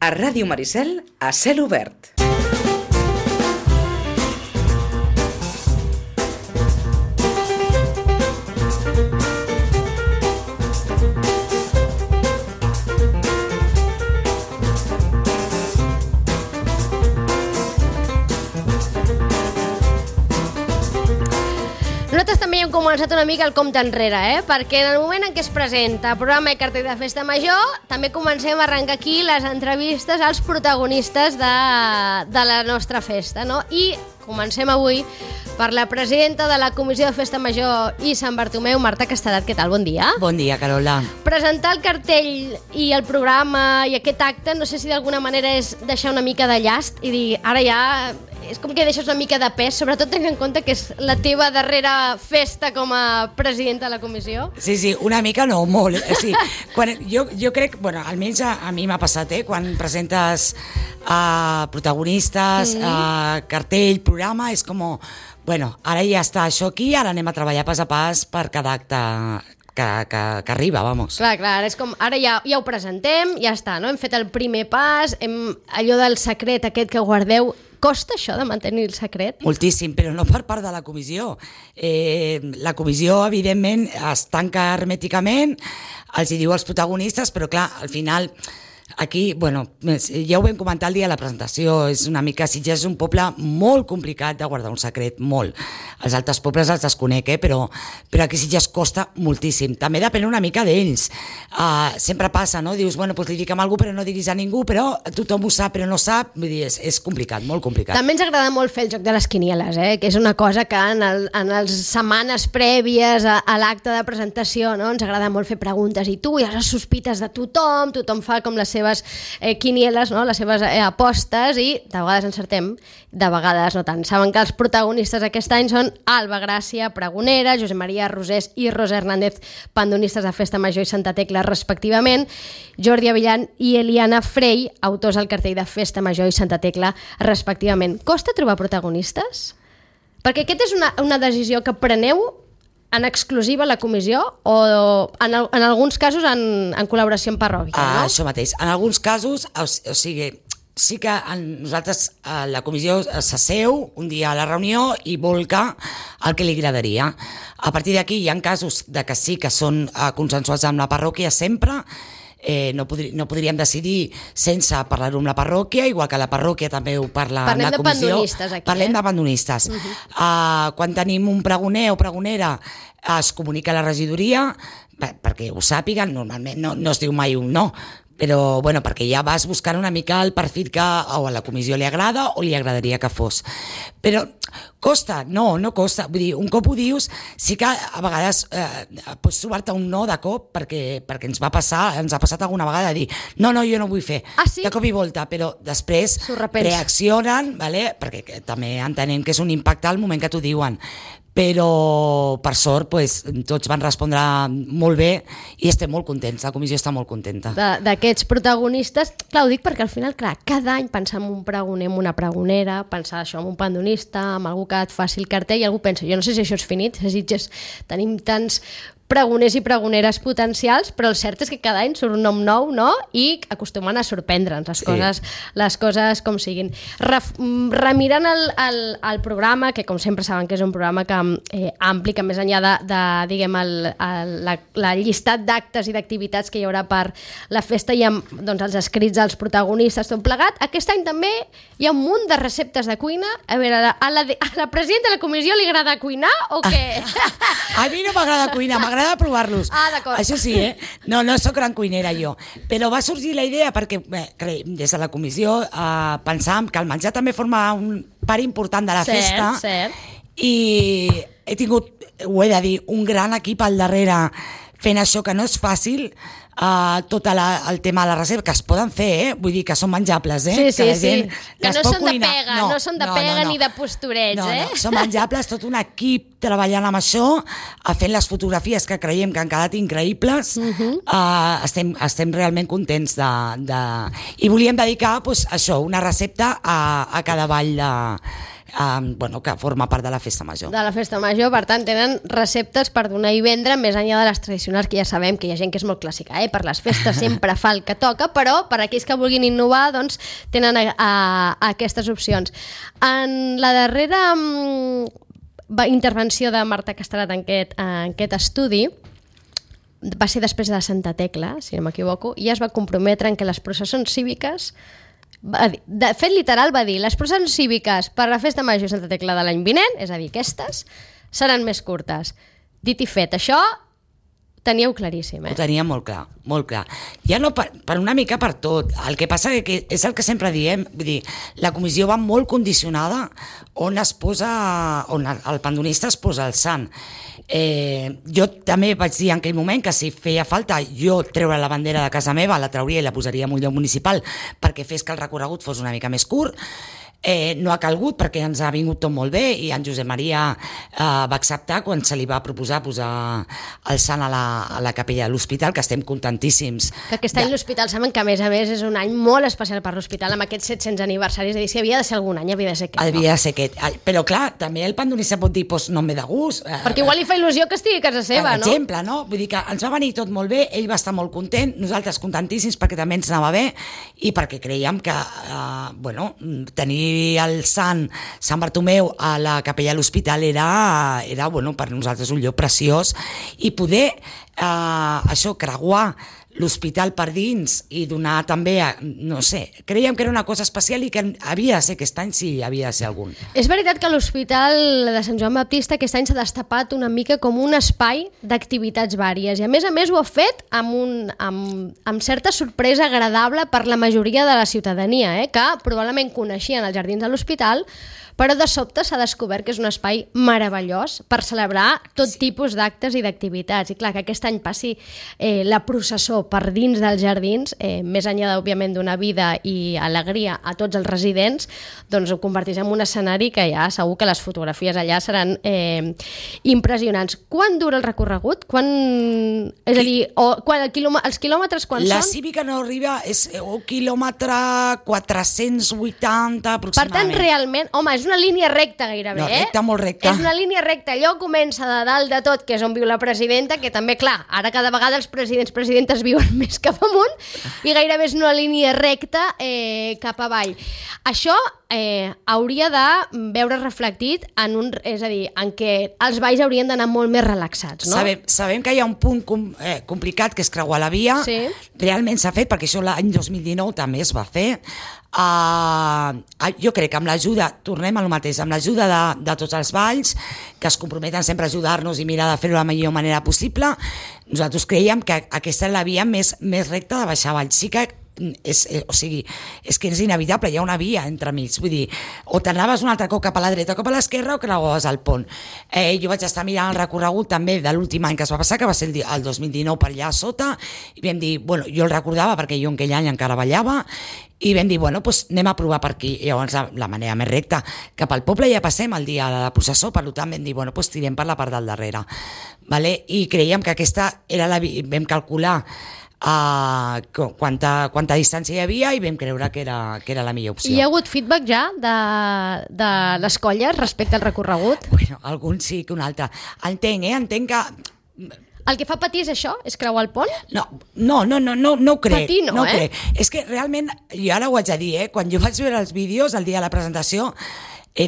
A Ràdio Maricel, a cel obert. Nosaltres també hem començat una mica el compte enrere, perquè en el moment en què es presenta el programa de cartell de Festa Major, també comencem a arrencar aquí les entrevistes als protagonistes de la nostra festa, no? I comencem avui per la presidenta de la Comissió de Festa Major i Sant Bartomeu, Marta Castedat. Què tal? Bon dia. Bon dia, Carola. Presentar el cartell i el programa i aquest acte, no sé si d'alguna manera és deixar una mica de llast i dir, ara ja és com que deixes una mica de pes, sobretot tenint en compte que és la teva darrera festa com a presidenta de la comissió. Sí, una mica no, molt. Sí, jo crec, bueno, almenys a mi m'ha passat, quan presentes protagonistes, cartell, programa, és com, bueno, ara ja està això aquí, ara anem a treballar pas a pas per cada acte que arriba, vamos. Clar, és com, ara ja ho presentem, ja està, no? Hem fet el primer pas, allò del secret aquest que guardeu. Costa això de mantenir el secret? Moltíssim, però no per part de la comissió. La comissió, evidentment, es tanca hermèticament, els hi diu als protagonistes, però clar, al final, aquí, bueno, ja ho vam comentar el dia de la presentació, és una mica, Sitges és un poble molt complicat de guardar un secret, molt. Els altres pobles els desconec, però aquí Sitges costa moltíssim. També depèn una mica d'ells. Sempre passa, no? Dius, bueno, doncs li dic amb algú, però no diguis a ningú, però tothom ho sap, però no sap. Vull dir, és complicat, molt complicat. També ens agrada molt fer el joc de les quinieles, que és una cosa que en les setmanes prèvies a l'acte de presentació, no? Ens agrada molt fer preguntes i tu ja les sospites de tothom fa com les seves quinieles, no? Les seves apostes i de vegades encertem, de vegades no tant. Saben que els protagonistes aquest any són Alba Gràcia, pregonera, Josep Maria Rosés i Rosa Hernández, pandonistes de Festa Major i Santa Tecla respectivament, Jordi Avillan i Eliana Frey, autors al cartell de Festa Major i Santa Tecla respectivament. Costa trobar protagonistes? Perquè aquesta és una decisió que preneu en exclusiva a la comissió o en alguns casos en col·laboració amb parròquia, no? Això mateix. En alguns casos, o sigui, sí que nosaltres, la comissió s'asseu un dia a la reunió i volca el que li agradaria. A partir d'aquí hi ha casos de que sí que són consensuats amb la parròquia sempre. No podríem decidir sense parlar-ho amb la parròquia, igual que la parròquia també ho parla amb la comissió. Parlem de pandonistes aquí. Parlem de pandonistes. Quan tenim un pregoner o pregonera es comunica a la regidoria perquè ho sàpiguen, normalment no es diu mai un no, però bueno, perquè ja vas buscant una mica el perfil que o a la comissió li agrada o li agradaria que fos. Però costa? No costa. Vull dir, un cop ho dius, sí que a vegades pots trobar-te un no de cop perquè ens ha passat alguna vegada de dir no, jo no vull fer, sí? De cop i volta, però després reaccionen, vale? Perquè també entenem que és un impacte al moment que t'ho diuen. Però per sort tots van respondre molt bé i estem molt contents, la comissió està molt contenta. D'aquests protagonistes, clar, ho dic perquè al final, cada any pensar en un pregoner, en una pregonera, pensar això en un pandonista, en algú que et faci el cartell, i algú pensa, jo no sé si això és finit, tenim tants pregoners i pregoneres potencials, però el cert és que cada any surt un nom nou, no? I acostumen a sorprendre'ns les coses com siguin. Remirant el programa, que com sempre saben que és un programa que ampli, que més enllà de diguem, la llistat d'actes i d'activitats que hi haurà per la festa i amb els escrits dels protagonistes, tot plegat, aquest any també hi ha un munt de receptes de cuina. A veure, a la presidenta de la comissió li agrada cuinar o què? A mi no m'agrada cuinar, m'agrada provar-los. D'acord. Això sí, No soc gran cuinera jo. Però va sorgir la idea perquè des de la comissió pensàvem que el menjar també forma un part important de la festa. Cert. I he tingut, ho he de dir, un gran equip al darrere fent això, que no és fàcil, tot el tema de la reserva, que es poden fer, vull dir que són menjables, Sí. Que no són de pega, no són de pega ni de posturets, No, són menjables, tot un equip treballant amb això, fent les fotografies que creiem que han quedat increïbles. Estem realment contents i volíem dedicar això, una recepta a cada ball que forma part de la festa major. De la festa major, per tant, tenen receptes per donar i vendre més enllà de les tradicionals, que ja sabem que hi ha gent que és molt clàssica, per les festes sempre fa el que toca, però per aquells que vulguin innovar, doncs tenen aquestes opcions. En la darrera intervenció de Marta Castellat en aquest estudi, va ser després de Santa Tecla, si no m'equivoco, i es va comprometre en que les processons cíviques, de fet literal va dir, les processons cíviques per la festa major de Santa Tecla de l'any vinent, és a dir, aquestes, seran més curtes. Dit i fet, això teníeu claríssim, Ho tenia molt clar, molt clar. Ja no per una mica per tot. El que passa que és el que sempre diem, vull dir, la comissió va molt condicionada on el pandonista es posa el sant. Jo també vaig dir en aquell moment que si feia falta jo treure la bandera de casa meva, la trauria i la posaria en un lloc municipal perquè fes que el recorregut fos una mica més curt. No ha calgut perquè ens ha vingut tot molt bé i en Josep Maria va acceptar quan se li va proposar posar el sant a la capella de l'hospital, que estem contentíssims. Que aquest any l'hospital, saben que a més és un any molt especial per l'hospital, amb aquests 700 aniversaris, és a dir, si havia de ser algun any, havia de ser aquest. Havia de ser aquest. Però clar, també el pandonista pot dir, doncs no em ve de gust. Perquè igual li fa il·lusió que estigui a casa seva, no? Per exemple, no? Vull dir que ens va venir tot molt bé, ell va estar molt content, nosaltres contentíssims perquè també ens anava bé i perquè creiem que, tenir el Sant Bartomeu a la capella de l'hospital era per nosaltres un lloc preciós i poder creuar l'hospital per dins i donar també, no sé, creiem que era una cosa especial i que havia de ser aquest any, sí, havia de ser algun. És veritat que l'Hospital de Sant Joan Baptista aquest any s'ha destapat una mica com un espai d'activitats vàries i a més ho ha fet amb certa sorpresa agradable per la majoria de la ciutadania, que probablement coneixien els jardins de l'hospital, però de sobte s'ha descobert que és un espai meravellós per celebrar tot tipus d'actes i d'activitats. I clar, que aquest any passi la processó per dins dels jardins, més enllà, òbviament, d'una vida i alegria a tots els residents, doncs ho converteix en un escenari que ja segur que les fotografies allà seran impressionants. Quan dura el recorregut? És a dir, els quilòmetres quan són? La cívica no arriba, és un quilòmetre 480 aproximadament. Per tant, realment, home, és una línia recta gairebé, no, recta, molt recta. És una línia recta, allò comença de dalt de tot, que és on viu la presidenta, que també, clar, ara cada vegada els presidents viuen més cap amunt, i gairebé és una línia recta cap avall. Això hauria de veure reflectit és a dir, en què els balls haurien d'anar molt més relaxats, no? Sabem que hi ha un punt complicat, que és creuar la via. Sí. Realment s'ha fet, perquè això l'any 2019 també es va fer. Jo crec que amb l'ajuda, tornem a lo mateix, amb l'ajuda de tots els balls, que es comprometen sempre a ajudar-nos i mirar de fer-ho de la millor manera possible, nosaltres creiem que aquesta és la via més recta de baixar avall. Sí que és que és inevitable, hi ha una via entremig, vull dir, o t'anaves un altre cop cap a la dreta o cap a l'esquerra o creuaves el pont. Jo vaig estar mirant el recorregut també de l'últim any que es va passar, que va ser el 2019 per allà a sota, i vam dir, jo el recordava perquè jo en aquell any encara ballava, i vam dir, anem a provar per aquí. I llavors la manera més recta, cap al poble ja passem el dia de la processó, per tant vam dir, tirem per la part del darrere. I creiem que aquesta era vam calcular quanta distància hi havia i vam creure que era la millor opció. Hi ha hagut feedback ja de les colles respecte al recorregut? Algun sí que un altre. Entenc que... El que fa patir és això? És creuar el pont? No ho crec. Patir no, crec. És que realment, jo ara ho haig de dir, quan jo vaig veure els vídeos el dia de la presentació,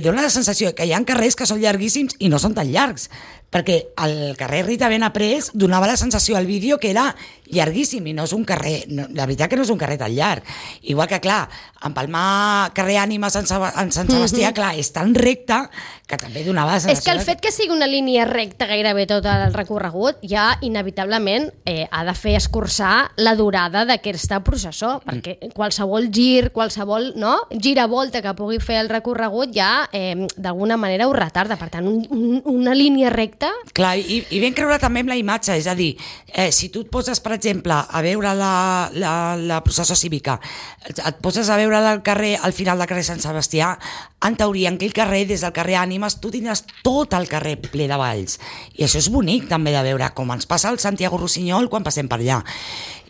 dona la sensació que hi ha carrers que són llarguíssims i no són tan llargs, perquè el carrer Rita Ben-Aprés donava la sensació al vídeo que era llarguíssim i no és un carrer, la veritat que no és un carrer tan llarg. Igual que, clar, empalmar carrer Ànima en Sant Sebastià, clar, és tan recte que també donava la sensació... És que el fet que sigui una línia recta gairebé tot el recorregut ja inevitablement ha de fer escurçar la durada d'aquesta processó, perquè qualsevol gir, qualsevol giravolta que pugui fer el recorregut ja d'alguna manera ho retarda. Per tant, una línia recta... Clar, i vam creure també amb la imatge, és a dir, si tu et poses, per exemple, a veure la processó cívica, et poses a veure al final del carrer Sant Sebastià, en teoria, en aquell carrer, des del carrer Ànimes, tu tindràs tot el carrer ple de balls. I això és bonic també de veure, com ens passa al Santiago Rossinyol quan passem per allà.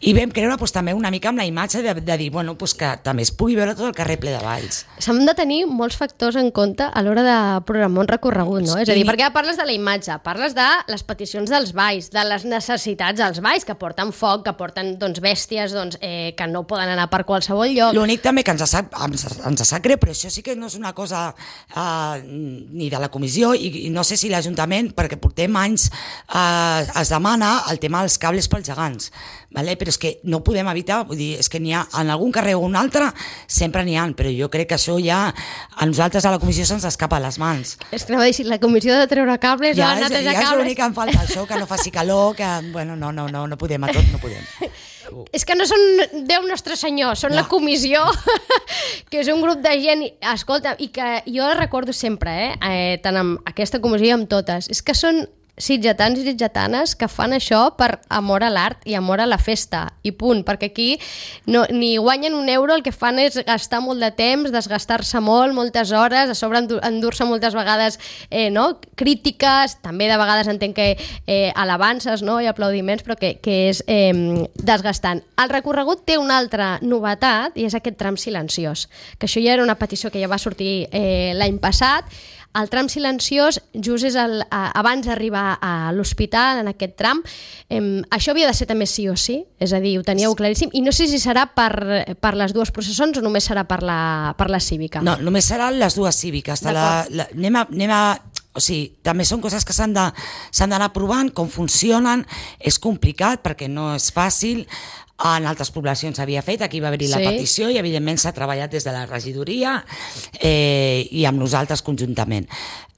I vam creure també una mica amb la imatge de dir que també es pugui veure tot el carrer ple de balls. S'han de tenir molts factors en compte a l'hora de programar un recorregut, no? És a dir, perquè parles de la imatge, parles de les peticions dels balls, de les necessitats dels balls, que porten foc, que porten bèsties que no poden anar per qualsevol lloc. L'únic també que ens sap greu, però això sí que no és una cosa ni de la comissió i no sé si l'Ajuntament, perquè portem anys, es demana el tema dels cables pels gegants, però és que no podem evitar, vull dir, és que n'hi ha en algun carrer o un altre, sempre n'hi ha, però jo crec que això ja a nosaltres a la comissió se'ns escapa a les mans. És que anava a dir, si la comissió de treure cables, ja de netejar cables... és l'únic que em falta, això, que no faci calor, que, bueno, no podem, a tot no podem. És que no són Déu Nostre Senyor, són la comissió, que és un grup de gent, escolta, i que jo recordo sempre, tant amb aquesta comissió com amb totes, és que són sitgetans i sitgetanes que fan això per amor a l'art i amor a la festa, i punt, perquè aquí ni guanyen un euro, el que fan és gastar molt de temps, desgastar-se molt, moltes hores, a sobre endur-se moltes vegades crítiques, també de vegades entenc que alabances i aplaudiments, però que és desgastant. El recorregut té una altra novetat i és aquest tram silenciós, que això ja era una petició que ja va sortir l'any passat. El tram silenciós just és abans d'arribar a l'hospital, en aquest tram. Això havia de ser també sí o sí, és a dir, ho teníeu claríssim, i no sé si serà per les dues processons o només serà per la cívica. No, només seran les dues cíviques. O sigui, també són coses que s'han d'anar provant, com funcionen, és complicat perquè no és fàcil. En altres poblacions s'havia fet, aquí va haver-hi la petició i evidentment s'ha treballat des de la regidoria i amb nosaltres conjuntament.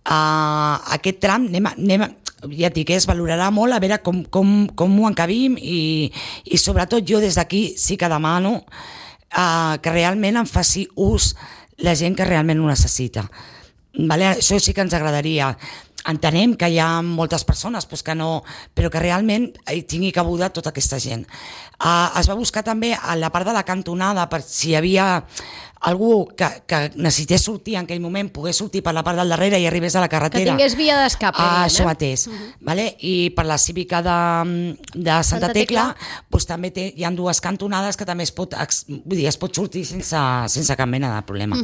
Aquest tram ja et dic, es valorarà molt a veure com ho encabim i sobretot jo des d'aquí sí que demano que realment en faci ús la gent que realment ho necessita. Això sí que ens agradaria. Entenem que hi ha moltes persones però que realment hi tingui cabuda tota aquesta gent. Es va buscar també a la part de la cantonada per si hi havia algú que necessités sortir en aquell moment, pogués sortir per la part del darrere i arribés a la carretera. Que tingués via d'escape. Això mateix. I per la cívica de Santa Tecla també hi ha dues cantonades que també es pot sortir sense cap mena de problema.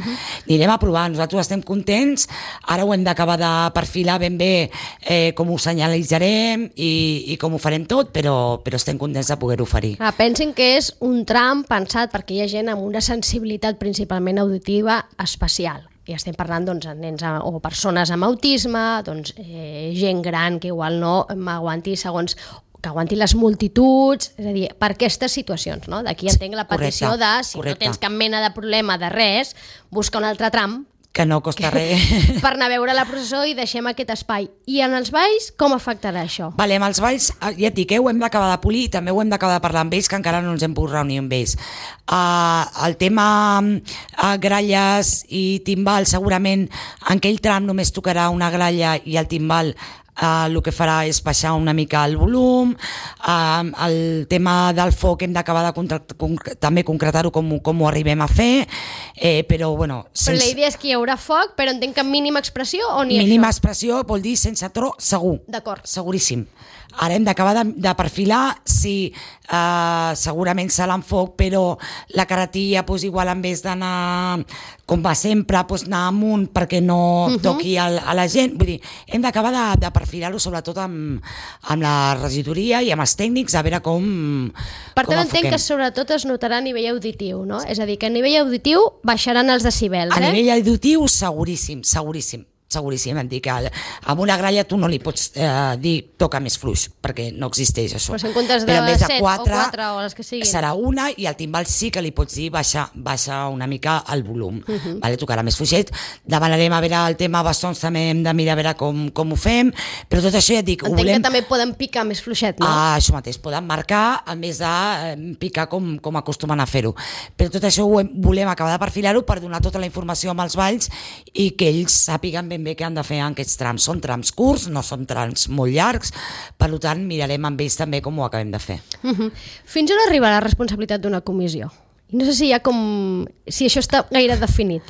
Anirem a provar, nosaltres estem contents, ara ho hem d'acabar de perfilar ben bé com ho senyalitzarem i com ho farem tot, però estem contents de poder-ho oferir. Pensin que és un tram pensat perquè hi ha gent amb una sensibilitat principalment auditiva especial. I estem parlant de nens o persones amb autisme, gent gran que igual no m'aguanti que aguanti les multituds, és a dir, per aquestes situacions. D'aquí entenc la petició de, si no tens cap mena de problema de res, busca un altre tram que no costa res. Per anar a veure la processó i deixem aquest espai. I en els balls, com afectarà això? Amb els balls, ja et dic, ho hem d'acabar de polir i també ho hem d'acabar de parlar amb ells, que encara no ens hem pogut reunir amb ells. El tema gralles i timbal, segurament en aquell tram només tocarà una gralla i el timbal el que farà és baixar una mica el volum. El tema del foc hem d'acabar de també concretar-ho com ho arribem a fer, però bueno... Però la idea és que hi haurà foc, però entenc que mínima expressió o ni això? Mínima expressió vol dir sense tro, segur. D'acord. Seguríssim. Ara hem d'acabar de perfilar si segurament serà en foc, però la carretilla igual en vez d'anar com va sempre, anar amunt perquè no toqui a la gent. Vull dir, hem d'acabar de perfilar-ho sobretot amb la regidoria i amb els tècnics a veure com Per tant, entenc que sobretot es notarà a nivell auditiu, no? És a dir, que a nivell auditiu baixaran els decibels, A nivell auditiu, seguríssim. Em dic que amb una gralla tu no li pots dir toca més fluix, perquè no existeix això. Però si en comptes de 7 o 4 o les que siguin. Serà una, i al timbal sí que li pots dir baixa una mica el volum. Tocarà més fluixet. Demanarem a veure el tema bastons, també hem de mirar a veure com ho fem, però tot això ja et dic... Entenc que també poden picar més fluixet, no? Això mateix, poden marcar a més de picar com acostumen a fer-ho. Però tot això ho volem acabar de perfilar-ho per donar tota la informació amb els balls i que ells sàpiguen ben bé què han de fer en aquests trams. Són trams curts, no són trams molt llargs, per tant mirarem amb ells també com ho acabem de fer. Fins on arriba la responsabilitat d'una comissió? No sé si això està gaire definit.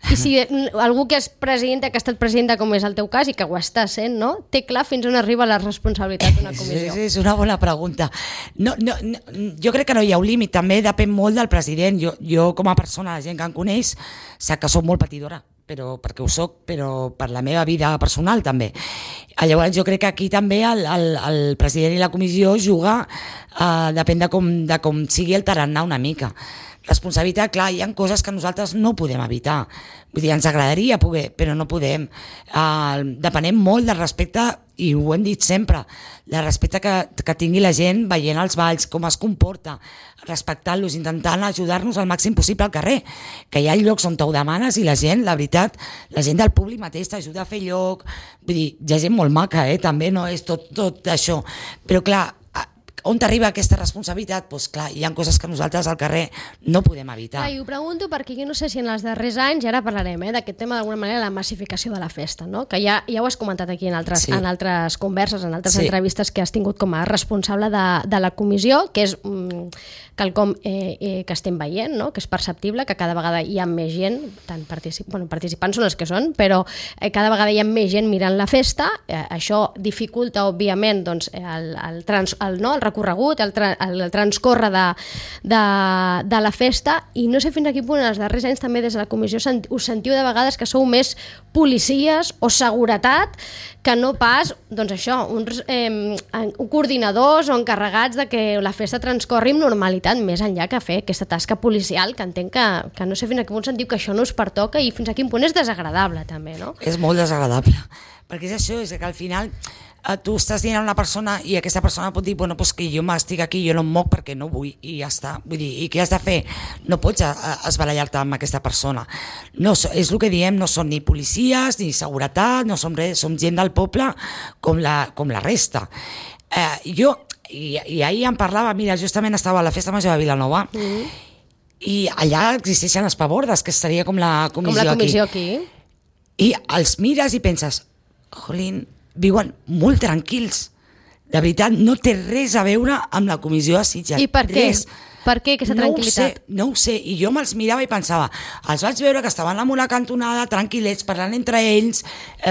I si algú que és presidenta, que ha estat presidenta, com és el teu cas, i que ho està sent, no? Té clar fins on arriba la responsabilitat d'una comissió. És una bona pregunta. No, jo crec que no hi ha un límit, també depèn molt del president. Jo com a persona, la gent que em coneix, sap que soc molt patidora, però perquè ho soc, però per la meva vida personal també. Llavors jo crec que aquí també el president i la comissió juga, depèn de com sigui el tarannà una mica. Responsabilitat, clar, hi ha coses que nosaltres no podem evitar. Vull dir, ens agradaria poder, però no podem. Depenem molt del respecte, i ho hem dit sempre, del respecte que tingui la gent veient els balls, com es comporta, respectant-los, intentant ajudar-nos al màxim possible al carrer, que hi ha llocs on t'ho demanes i la gent, la veritat, la gent del públic mateix t'ajuda a fer lloc. Vull dir, hi ha gent molt maca, també no és tot això, però clar, on t'arriba aquesta responsabilitat? Doncs clar, hi ha coses que nosaltres al carrer no podem evitar. I ho pregunto perquè jo no sé si en els darrers anys, i ara parlarem d'aquest tema d'alguna manera, la massificació de la festa, no? Que ja ho has comentat aquí en altres converses, en altres entrevistes que has tingut com a responsable de la comissió, que és quelcom que estem veient, no? Que és perceptible, que cada vegada hi ha més gent, tant participants són els que són, però cada vegada hi ha més gent mirant la festa. Això dificulta, òbviament, doncs, el recorregut, el transcorre de la festa, i no sé fins a quin punt en els darrers anys també des de la comissió us sentiu de vegades que sou més policies o seguretat que no pas, doncs això, uns coordinadors o encarregats de que la festa transcorri amb normalitat, més enllà que fer aquesta tasca policial, que entenc que no sé fins a quin punt sentiu que això no us pertoca i fins a quin punt és desagradable també, no? És molt desagradable, perquè és això, és que al final tu estàs dient a una persona i aquesta persona pot dir, bueno, pues que jo m'estic aquí, jo no em moc perquè no vull, i ja està. Vull dir, i què has de fer? No pots esbarallar-te amb aquesta persona. No, és el que diem, no som ni policies ni seguretat, no som res, som gent del poble com la resta. I ahir em parlava, mira, justament estava a la Festa Major de Vilanova, i allà existeixen les pabordes, que seria com la comissió aquí. I els mires i penses, jolín, viuen molt tranquils. De veritat, no té res a veure amb la comissió de Sitges. I per què? Per què aquesta tranquil·litat? No ho sé, i jo me'ls mirava i pensava, els vaig veure que estaven en una cantonada, tranquil·lets, parlant entre ells,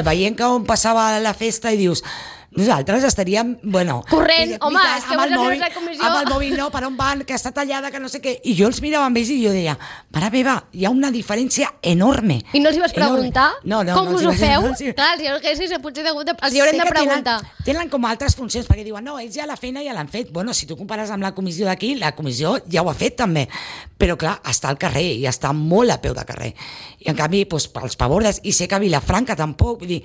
veient com passava la festa, i dius, nosaltres estaríem, bueno... Corrent, home, és que vols fer la comissió... Amb el mòbil, no, per on van, que està tallada, que no sé què... I jo els mirava amb ells i jo deia, mare meva, hi ha una diferència enorme. I no els hi vas preguntar? No, com us ho feu? Clar, els hi haurem de preguntar. Tenen com altres funcions, perquè diuen, no, ells ja la feina ja l'han fet. Bueno, si tu compares amb la comissió d'aquí, la comissió ja ho ha fet també. Però clar, està al carrer i està molt a peu de carrer. I en canvi, doncs, pels pavordes, i sé que a Vilafranca tampoc, vull dir,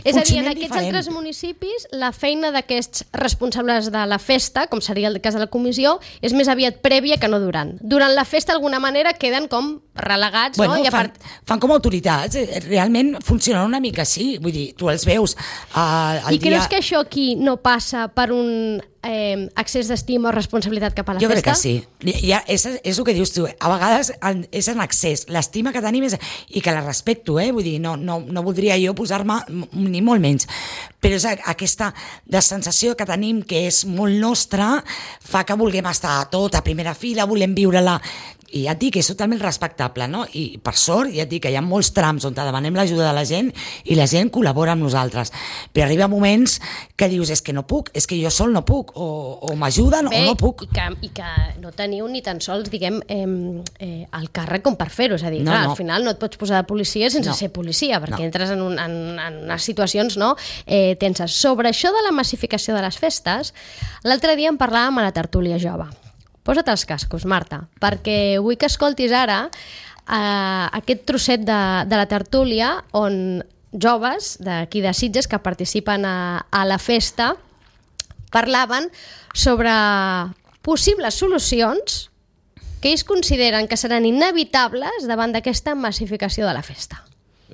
és a dir, en aquests altres municipis la feina d'aquests responsables de la festa, com seria el cas de la comissió, és més aviat prèvia que no durant. Durant la festa d'alguna manera queden com relegats, bueno, no? Fan com autoritats, realment funcionen una mica així, vull dir, tu els veus I creus que això aquí no passa per un accés d'estima o responsabilitat cap a la festa? Jo crec que sí. És el que dius tu. A vegades és en excés. L'estima que tenim és... I que la respecto, vull dir, no voldria jo posar-me ni molt menys. Però és aquesta sensació que tenim, que és molt nostra, fa que vulguem estar tot a primera fila, volem viure-la... I ja et dic que és totalment respectable, no? I per sort, ja et dic que hi ha molts trams on demanem l'ajuda de la gent i la gent col·labora amb nosaltres. Però arriba moments que dius, és que no puc, és que jo sol no puc, o m'ajuden o no puc. I que no teniu ni tan sols, diguem, el càrrec com per fer-ho. És a dir, clar, al final no et pots posar de policia sense ser policia, perquè entres en unes situacions tenses. Sobre això de la massificació de les festes, l'altre dia en parlàvem a la tertúlia jove. Posa't els cascos, Marta, perquè vull que escoltis ara aquest trosset de la tertúlia on joves d'aquí de Sitges que participen a la festa parlaven sobre possibles solucions que ells consideren que seran inevitables davant d'aquesta massificació de la festa.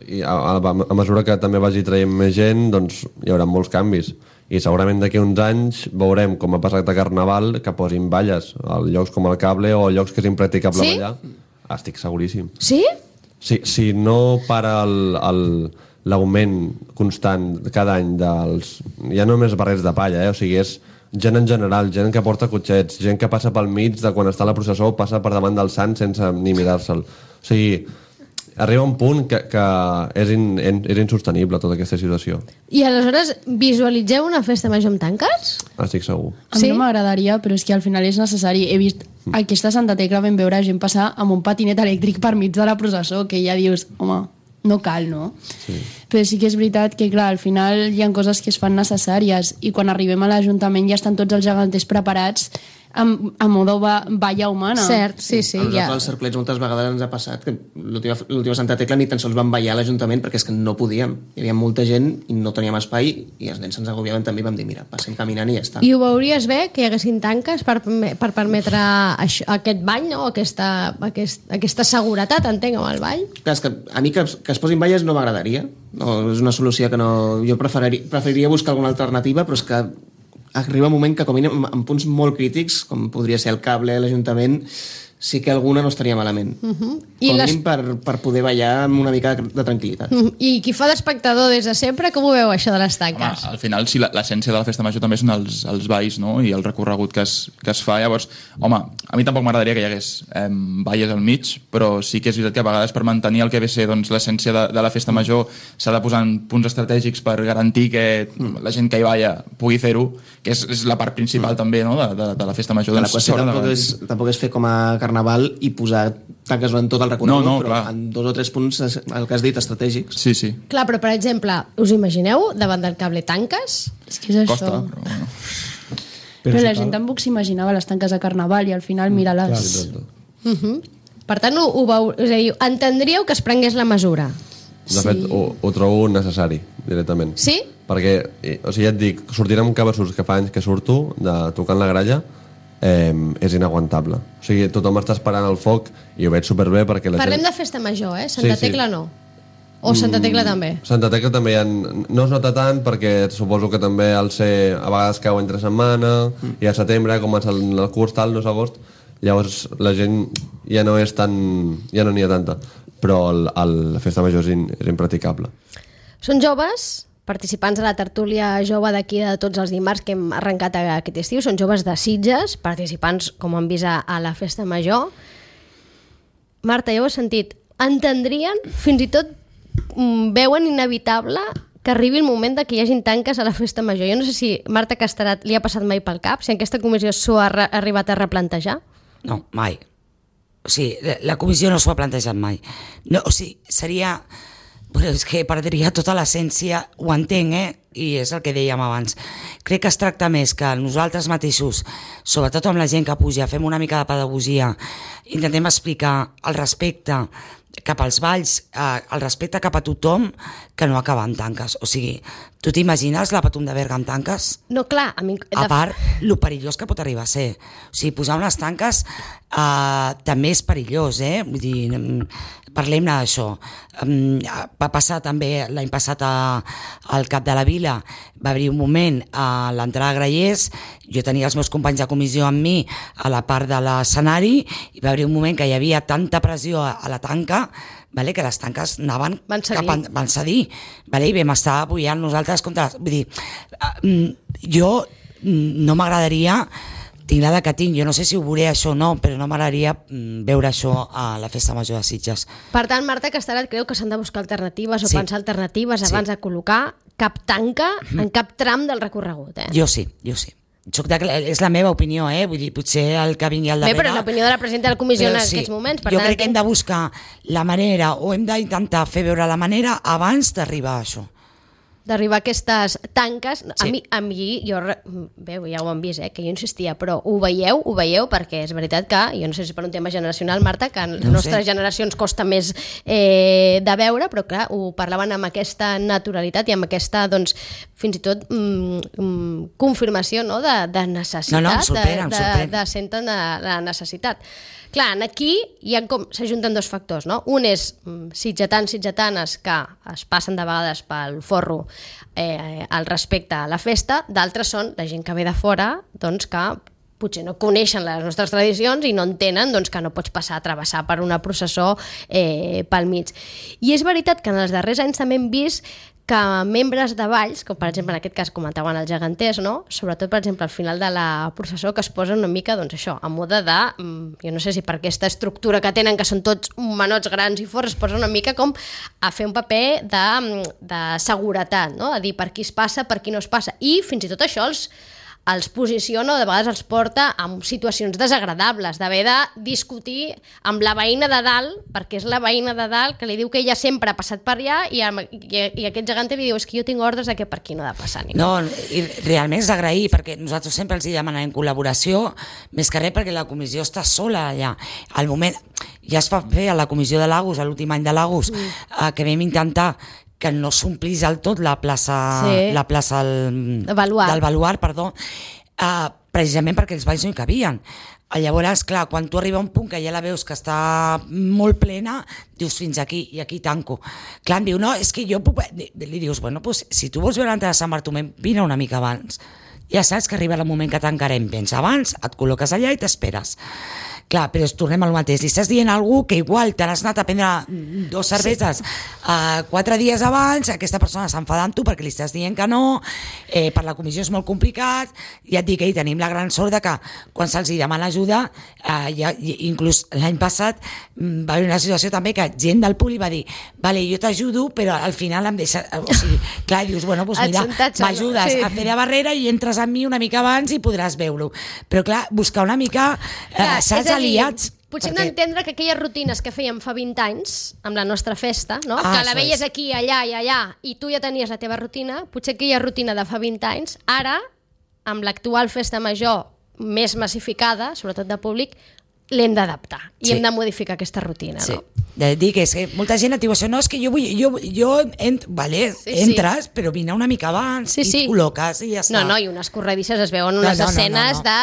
I a mesura que també vagi traient més gent, doncs hi haurà molts canvis. I segurament d'aquí uns anys veurem, com ha passat a Carnaval, que posin valles a llocs com el Cable o llocs que és impracticable ballar. Estic seguríssim. Sí? Si no para l'augment constant cada any dels... Ja no només barrets de palla, o sigui, és gent en general, gent que porta cotxets, gent que passa pel mig de quan està la processó, passa per davant del sant sense ni mirar-se'l. O sigui, arriba un punt que és insostenible tota aquesta situació. I aleshores visualitzeu una festa major amb tanques? Estic segur. A mi no m'agradaria, però és que al final és necessari. He vist aquesta Santa Tecla, vam veure gent passar amb un patinet elèctric per mig de la processó, que ja dius, home, no cal, no? Sí. Però sí que és veritat que, clar, al final hi ha coses que es fan necessàries i quan arribem a l'Ajuntament ja estan tots els geganters preparats a modo valla humana. Cert, sí, A nosaltres als cerclets moltes vegades ens ha passat que l'última Santa Tecla ni tan sols vam ballar a l'Ajuntament perquè és que no podíem. Hi havia molta gent i no teníem espai i els nens se'ns agobiaven també i vam dir, mira, passem caminant i ja està. I ho veuries bé, que hi haguessin tanques per permetre aquest ball, no? Aquesta seguretat, entenc, amb el ball? Clar, és que a mi que es posin valles no m'agradaria. No, és una solució que no... Jo preferiria buscar alguna alternativa, però és que arriba un moment que, com a mínim, en punts molt crítics, com podria ser el cable, l'Ajuntament, sí que alguna no estaria malament. Com a mínim per poder ballar amb una mica de tranquil·litat. I qui fa d'espectador des de sempre, com ho veu, això de les tanques? Home, al final, sí, l'essència de la festa major també són els balls, no?, i el recorregut que es fa. Llavors, home, a mi tampoc m'agradaria que hi hagués balles al mig, però sí que és veritat que a vegades per mantenir el que ve ser doncs, l'essència de la festa major s'ha de posar en punts estratègics per garantir que la gent que hi balla pugui fer-ho, que és la part principal també, no?, de la festa major. La qüestió tampoc és fer com a Carnaval i posar tanques durant tot el recorregut, però clar, en 2 o 3 punts, el que has dit, estratègics. Sí, sí. Clar, però per exemple, us imagineu davant del cable tanques? És que és això. Costa, però bueno. Però la gent tampoc s'imaginava les tanques a Carnaval i al final mira-les. Per tant, és a dir, entendríeu que es prengués la mesura? De fet, ho trobo necessari, directament. Sí? Perquè, o sigui, ja et dic, sortir amb cabassos que fa anys que surto, tocant la gralla, és inaguantable. O sigui, tothom està esperant el foc i ho veig superbé perquè Parlem de festa major, Santa Tecla no. O Santa Tecla també? Santa Tecla també no es nota tant perquè suposo que també a vegades cau entre setmana i a setembre comença el curs tal, no és agost, llavors la gent ja no n'hi ha tanta, però la festa major és impraticable. Són joves, participants de la tertúlia jove d'aquí de tots els dimarts que hem arrencat aquest estiu, són joves de Sitges, participants, com han vist, a la festa major. Marta, ja ho has sentit, entendrien, fins i tot veuen inevitable que arribi el moment de que hi hagin tanques a la festa major. Jo no sé si Marta Casterat li ha passat mai pel cap, si en aquesta comissió s'ho ha arribat a replantejar. No, mai. O sigui, la comissió no s'ho ha plantejat mai. No, o sigui, seria... Però és que perdria tota l'essència, ho entenc, i és el que dèiem abans. Crec que es tracta més que nosaltres mateixos, sobretot amb la gent que puja, fem una mica de pedagogia, intentem explicar el respecte cap als balls, el respecte cap a tothom, que no acaba en tanques. O sigui, tu t'imagines la Patum de Berga amb tanques? No, clar. A part, lo perillós que pot arribar a ser. O sigui, posar unes tanques també és perillós, Vull dir, parlem-ne d'això. Va passar també l'any passat al Cap de la Vila, va haver un moment a l'entrada a Grallers, jo tenia els meus companys de comissió amb mi a la part de l'escenari i va haver un moment que hi havia tanta pressió a la tanca, que les tanques anaven van cedir, i vam estar apoyant nosaltres contra... Vull dir, jo no m'agradaria, tinc l'edat que tinc, jo no sé si ho veuré això o no, però no m'agradaria veure això a la festa major de Sitges. Per tant, Marta Casterat creu que s'han de buscar alternatives o pensar alternatives abans de col·locar cap tanca en cap tram del recorregut. Jo sí. És la meva opinió, vull dir, potser el que vingui al darrere... Bé, però és l'opinió de la presidenta de la comissió en aquests moments. Jo crec que hem de buscar la manera, o hem d'intentar fer veure la manera abans d'arribar a això. D'arribar a aquestes tanques. Sí. A mi bé, ja ho han vist, que jo insistia, però ho veieu, perquè és veritat que, jo no sé si per un tema generacional, Marta, que a les nostres generacions costa més de veure, però clar, ho parlaven amb aquesta naturalitat i amb aquesta, doncs, fins i tot confirmació, no?, de necessitat. No, em sorprèn. De senten la necessitat. Clar, aquí s'ajunten dos factors, no? Un és sitgetanes que es passen de vegades pel forro al respecte a la festa, d'altres són la gent que ve de fora, doncs que potser no coneixen les nostres tradicions i no entenen doncs, que no pots passar a travessar per una processó pel mig. I és veritat que en els darrers anys també hem vist que membres de balls, com per exemple en aquest cas comentaven els geganters, no? Sobretot per exemple al final de la processó, que es posen una mica doncs això, a moda de, jo no sé si per aquesta estructura que tenen, que són tots menots grans i forts, es posen una mica com a fer un paper de seguretat, no? A dir per qui es passa, per qui no es passa, i fins i tot això els posiciona o de vegades els porta en situacions desagradables, d'haver de discutir amb la veïna de dalt, perquè és la veïna de dalt que li diu que ella sempre ha passat per allà i aquest gegante li diu és que jo tinc ordres de que per aquí no ha de passar ningú. No, i realment és d'agrair, perquè nosaltres sempre els demanem col·laboració, més que res perquè la comissió està sola allà. Al moment, ja es va fer a la comissió de Lagos, a l'últim any de Lagos, que vam intentar que no s'omplís del tot la plaça del Baluard, precisament perquè els balls no hi cabien. Llavors, clar, quan tu arriba a un punt que ja la veus que està molt plena, dius fins aquí, i aquí tanco. Clar, em diu, no, és que jo puc... Li dius, bueno, pues, si tu vols veure l'entrada de Sant Bartomeu, vine una mica abans. Ja saps que arriba el moment que tancarem, vens abans, et col·loques allà i t'esperes. Clar, però tornem al mateix. Li estàs dient a algú que igual te n'has anat a prendre 2 cerveses 4 dies abans, aquesta persona s'enfada amb tu perquè li estàs dient que no, per la comissió és molt complicat, ja et dic que tenim la gran sort de que quan se'ls demana ajuda, inclús l'any passat va haver una situació també que gent del públic va dir, vale, jo t'ajudo, però al final em deixa... O sigui, clar, dius, bueno, doncs mira, m'ajudes a fer de barrera i entres amb mi una mica abans i podràs veure-ho. Però clar, buscar una mica... saps, aliats. Potser no entendre que aquelles rutines que fèiem fa 20 anys amb la nostra festa, no? Que la veies aquí, allà i allà, i tu ja tenies la teva rutina, potser aquella rutina de fa 20 anys, ara, amb l'actual festa major més massificada, sobretot de públic, l'hem d'adaptar i hem de modificar aquesta rutina, no? Dic, és que molta gent et diu això, no, és que entres, però vine una mica abans i et col·loques i ja està. No, i unes corredisses es veuen unes escenes de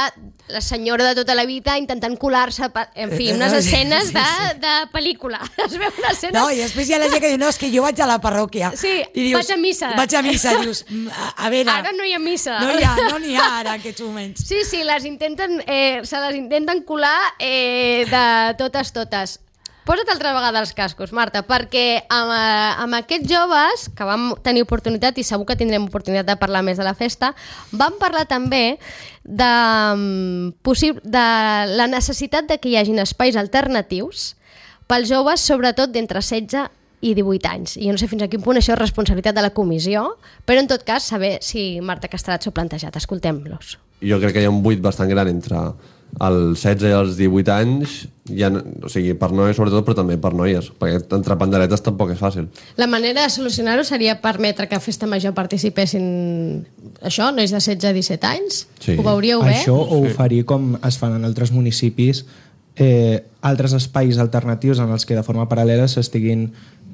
la senyora de tota la vida intentant colar-se, en fi, unes escenes de pel·lícula. Es veu una escena... No, i després hi ha la gent que diu, no, és que jo vaig a la parròquia. Sí, vaig a missa. Vaig a missa, dius, a veure... Ara no hi ha missa. No n'hi ha ara, en aquests moments. Sí, se les intenten colar de totes. Posa't altra vegada els cascos, Marta, perquè amb aquests joves que vam tenir oportunitat, i segur que tindrem oportunitat de parlar més de la festa, vam parlar també de la necessitat de que hi hagin espais alternatius pels joves, sobretot d'entre 16 i 18 anys. I jo no sé fins a quin punt això és responsabilitat de la comissió, però en tot cas saber si Marta Castellat s'ho ha plantejat. Escoltem-los. Jo crec que hi ha un buit bastant gran entre els 16 i els 18 anys, o sigui, per noies sobretot, però també per noies, perquè entre panderetes tampoc és fàcil. La manera de solucionar-ho seria permetre que a Festa Major participessin això, nois de 16 a 17 anys? Sí. Ho veuríeu bé? Això ho oferir com es fan en altres municipis, altres espais alternatius en els que de forma paral·lela s'estiguin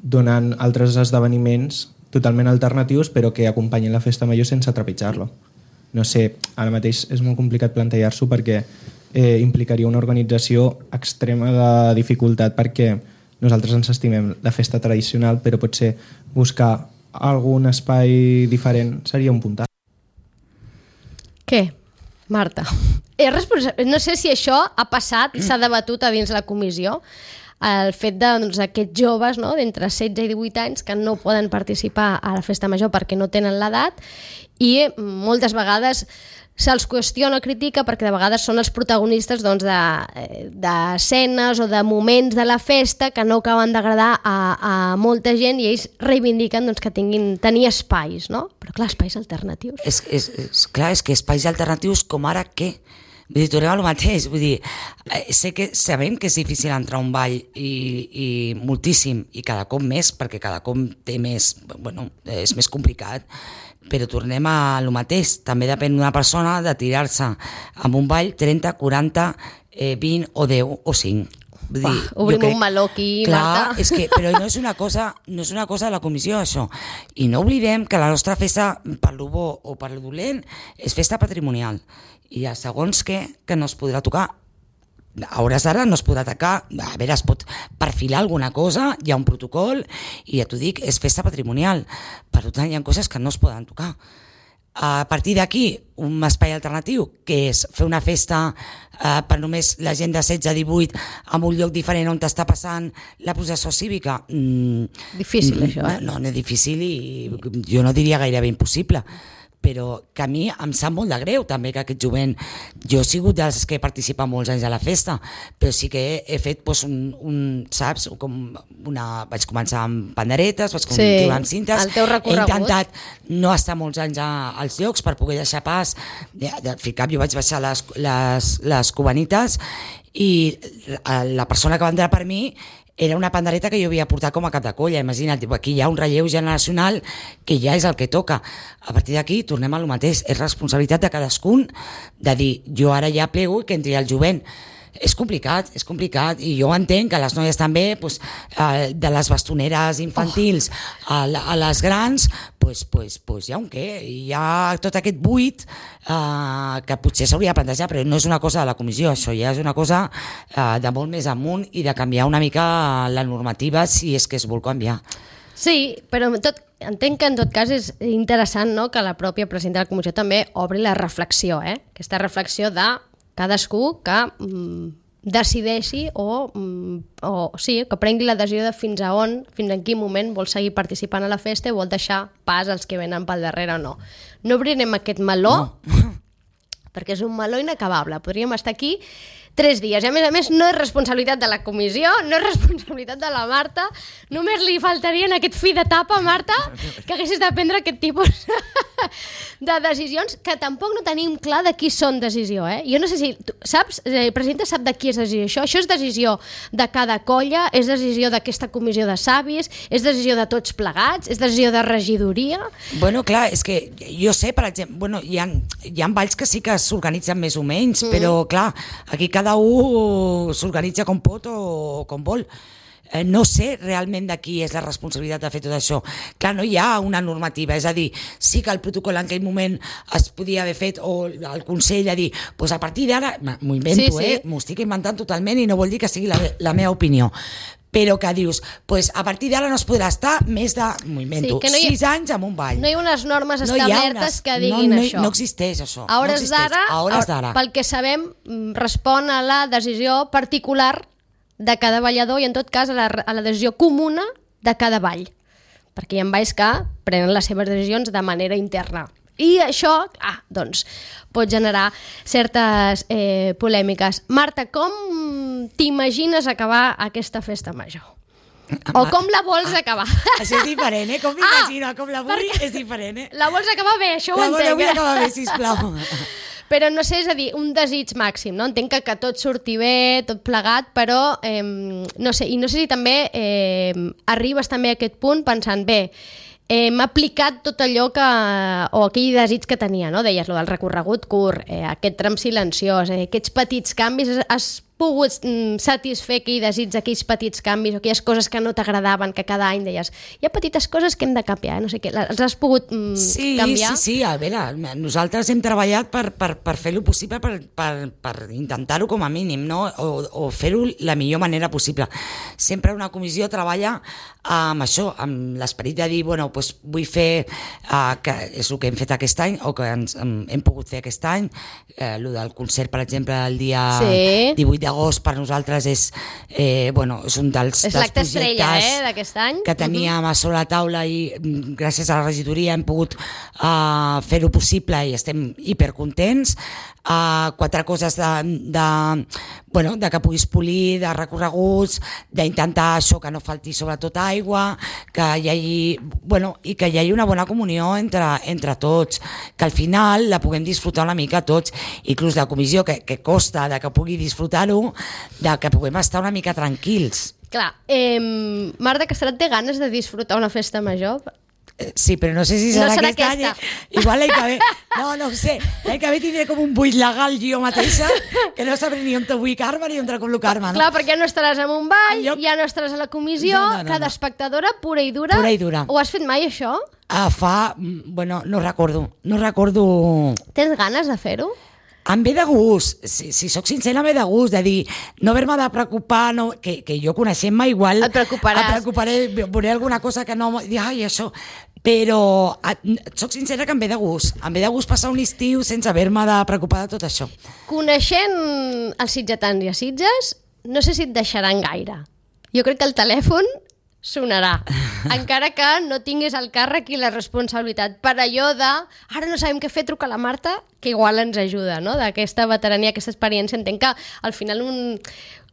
donant altres esdeveniments totalment alternatius però que acompanyin la Festa Major sense trepitjar-lo. No sé, ara mateix és molt complicat plantejar-s'ho perquè implicaria una organització extrema de dificultat perquè nosaltres ens estimem la festa tradicional però potser buscar algun espai diferent seria un puntat. Què, Marta? No sé si això ha passat i s'ha debatut a dins la comissió, el fet d'aquests joves, no, d'entre 16 i 18 anys que no poden participar a la festa major perquè no tenen l'edat i moltes vegades se'ls qüestiona o critica perquè de vegades són els protagonistes d'escenes o de moments de la festa que no acaben d'agradar a molta gent i ells reivindiquen que tenir espais, no? Però clar, espais alternatius. Clar, és que espais alternatius com ara què? Vull dir, tornem al mateix, vull dir, sabem que és difícil entrar a un ball i moltíssim, i cada cop més, perquè cada cop té més, bueno, és més complicat, però tornem a lo mateix, també depèn d'una persona de tirar-se amb un ball 30, 40, 20 o 10 o 5. Obrim un meló aquí, clar, Marta. És que, però no és una cosa de la comissió, això. I no oblidem que la nostra festa, per lo bo o per lo dolent, és festa patrimonial. I hi ha segons que no es podrà tocar. A hores d'ara no es podrà tocar, a veure, es pot perfilar alguna cosa, hi ha un protocol, i ja t'ho dic, és festa patrimonial. Per tant, hi ha coses que no es poden tocar. A partir d'aquí, un espai alternatiu, que és fer una festa per només la gent de 16 a 18 en un lloc diferent on està passant la processó cívica. Difícil, això, eh? No és difícil i jo no diria gairebé impossible, però que a mi em sap molt de greu també que aquest jovent, jo he sigut dels que participa molts anys a la festa, però sí que he fet saps, vaig començar amb panderetes, vaig continuar amb cintes, el teu recorregut. He intentat no estar molts anys als llocs per poder deixar pas, al fi cap jo vaig baixar les cubanites i la persona que va entrar per mi era una pandereta que jo havia portat com a cap de colla. Imagina't, aquí hi ha un relleu generacional que ja és el que toca. A partir d'aquí tornem a lo mateix, és responsabilitat de cadascun de dir, jo ara ja plego i que entri el jovent. És complicat, i jo entenc que les noies també, de les bastoneres infantils a les grans, hi ha un què, hi ha tot aquest buit que potser s'hauria de plantejar, però no és una cosa de la comissió, això ja és una cosa de molt més amunt i de canviar una mica la normativa si és que es vol canviar. Sí, però entenc que en tot cas és interessant, no?, que la pròpia presidenta de la comissió també obri la reflexió, aquesta reflexió de cadascú que decideixi o que prengui la decisió de fins en quin moment vol seguir participant a la festa i vol deixar pas als que venen pel darrere o no. No obrirem aquest meló, perquè és un meló inacabable. Podríem estar aquí 3 dies. I a més no és responsabilitat de la comissió, no és responsabilitat de la Marta, només li faltaria en aquest fi d'etapa, Marta, que haguessis de prendre aquest tipus de decisions, que tampoc no tenim clar de qui són decisió. Jo no sé si, saps, presidenta, sap de qui és decisió això? Això és decisió de cada colla, és decisió d'aquesta comissió de savis, és decisió de tots plegats, és decisió de regidoria? Bueno, clar, és que jo sé, per exemple, hi ha balls que sí que s'organitzen més o menys, però clar, aquí cada un s'organitza com pot o com vol. No sé realment de qui és la responsabilitat de fer tot això. Clar, no hi ha una normativa, és a dir, sí que el protocol en aquell moment es podia haver fet, o el Consell a dir, doncs a partir d'ara, m'ho invento, m'ho estic inventant totalment i no vol dir que sigui la meva opinió, però que dius, doncs a partir d'ara no es podrà estar més de, m'ho invento, 6 anys en un ball. No hi ha unes normes establertes que diguin això. No existeix això. A hores d'ara, pel que sabem, respon a la decisió particular de cada ballador i en tot cas a la decisió comuna de cada ball, perquè hi ha balls que prenen les seves decisions de manera interna i això, doncs, pot generar certes polèmiques. Marta, com t'imagines acabar aquesta festa major? O com la vols acabar? Això és diferent, com m'imagino, com la vull és diferent. La vols acabar bé, això ho entenc. La vull acabar bé, sisplau. Però no sé, és a dir, un desig màxim, no? Entenc que tot surti bé, tot plegat, però no sé, i no sé si també arribes també a aquest punt pensant, bé, hem aplicat tot allò o aquell desig que tenia, no? Deies, lo del recorregut curt, aquest tram silenciós, aquests petits canvis, has pogut satisfer aquell desig d'aquells petits canvis o aquelles coses que no t'agradaven, que cada any deies, hi ha petites coses que hem de canviar, no sé què, els has pogut canviar? Sí, a veure, nosaltres hem treballat per fer-ho possible, per intentar-ho com a mínim, no? O fer-ho la millor manera possible. Sempre una comissió treballa amb això, amb l'esperit de dir, bueno, doncs vull fer, que és el que hem fet aquest any, o que hem pogut fer aquest any, el del concert, per exemple, el dia 18 d'agost per nosaltres és un dels l'acte estrella d'aquest any que teníem a sobre la taula i gràcies a la regidoria hem pogut fer-ho possible i estem hipercontents. 4 coses de que puguis polir, de recorreguts, d'intentar això, que no falti sobretot aigua, que hi hagi una bona comunió entre tots, que al final la puguem disfrutar una mica tots, inclús la comissió que costa de que pugui disfrutar-ho, de que puguem estar una mica tranquils. Clar, Marta Castellet té ganes de disfrutar una festa major? Sí, però no sé si serà aquesta any. Igual l'any que ve. No ho sé. L'any que ve tindré com un buit legal jo mateixa, que no sabré ni on te vull Carme ni on te col·locar-me. Clar, perquè ja no estaràs en un ball, ja no estaràs a la comissió, cada espectadora pura i dura. Pura i dura. Ho has fet mai, això? No recordo. Tens ganes de fer-ho? Em ve de gust, si sóc sincera, em ve de gust, de dir, no haver-me de preocupar, no, que jo coneixent-me igual... Et preocuparàs. Em preocuparé, veuré alguna cosa que no... Ai, això... Però sóc sincera que em ve de gust. Em ve de gust passar un estiu sense haver-me de preocupar de tot això. Coneixent els sitgetans i a Sitges, no sé si et deixaran gaire. Jo crec que el telèfon sonarà, encara que no tinguis el càrrec i la responsabilitat. Per allò de, ara no sabem què fer, truca a la Marta, que igual ens ajuda, no? D'aquesta veterania, aquesta experiència. Entenc que al final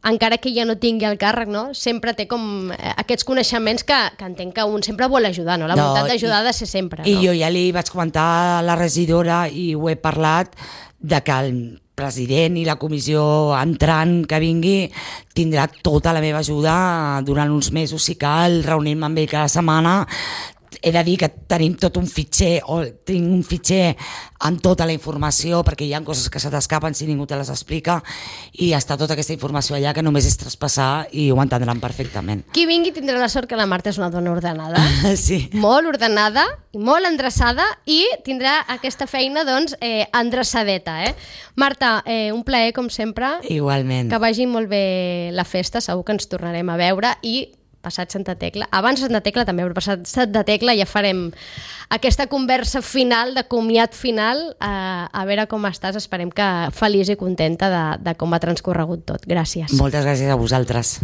encara que ja no tingui el càrrec, no? Sempre té com aquests coneixements que entenc que un sempre vol ajudar, no? La voluntat d'ajudar ha de ser sempre, no? I jo ja li vaig comentar a la regidora i ho he parlat de que el president i la comissió entrant que vingui tindrà tota la meva ajuda durant uns mesos, si cal, reunir-me amb ell cada setmana. He de dir que tenim tot un fitxer, o tinc un fitxer amb tota la informació, perquè hi ha coses que se t'escapen si ningú te les explica, i està tota aquesta informació allà que només és traspassar i ho entendran perfectament. Qui vingui tindrà la sort que la Marta és una dona ordenada, Sí. molt ordenada, molt endreçada, i tindrà aquesta feina, doncs, endreçadeta, Marta, un plaer, com sempre. Igualment. Que vagi molt bé la festa, segur que ens tornarem a veure, i passat Santa Tecla, abans Santa Tecla també, però passat Santa Tecla ja farem aquesta conversa final, de comiat final, a veure com estàs, esperem que feliç i contenta de com ha transcorregut tot. Gràcies. Moltes gràcies a vosaltres.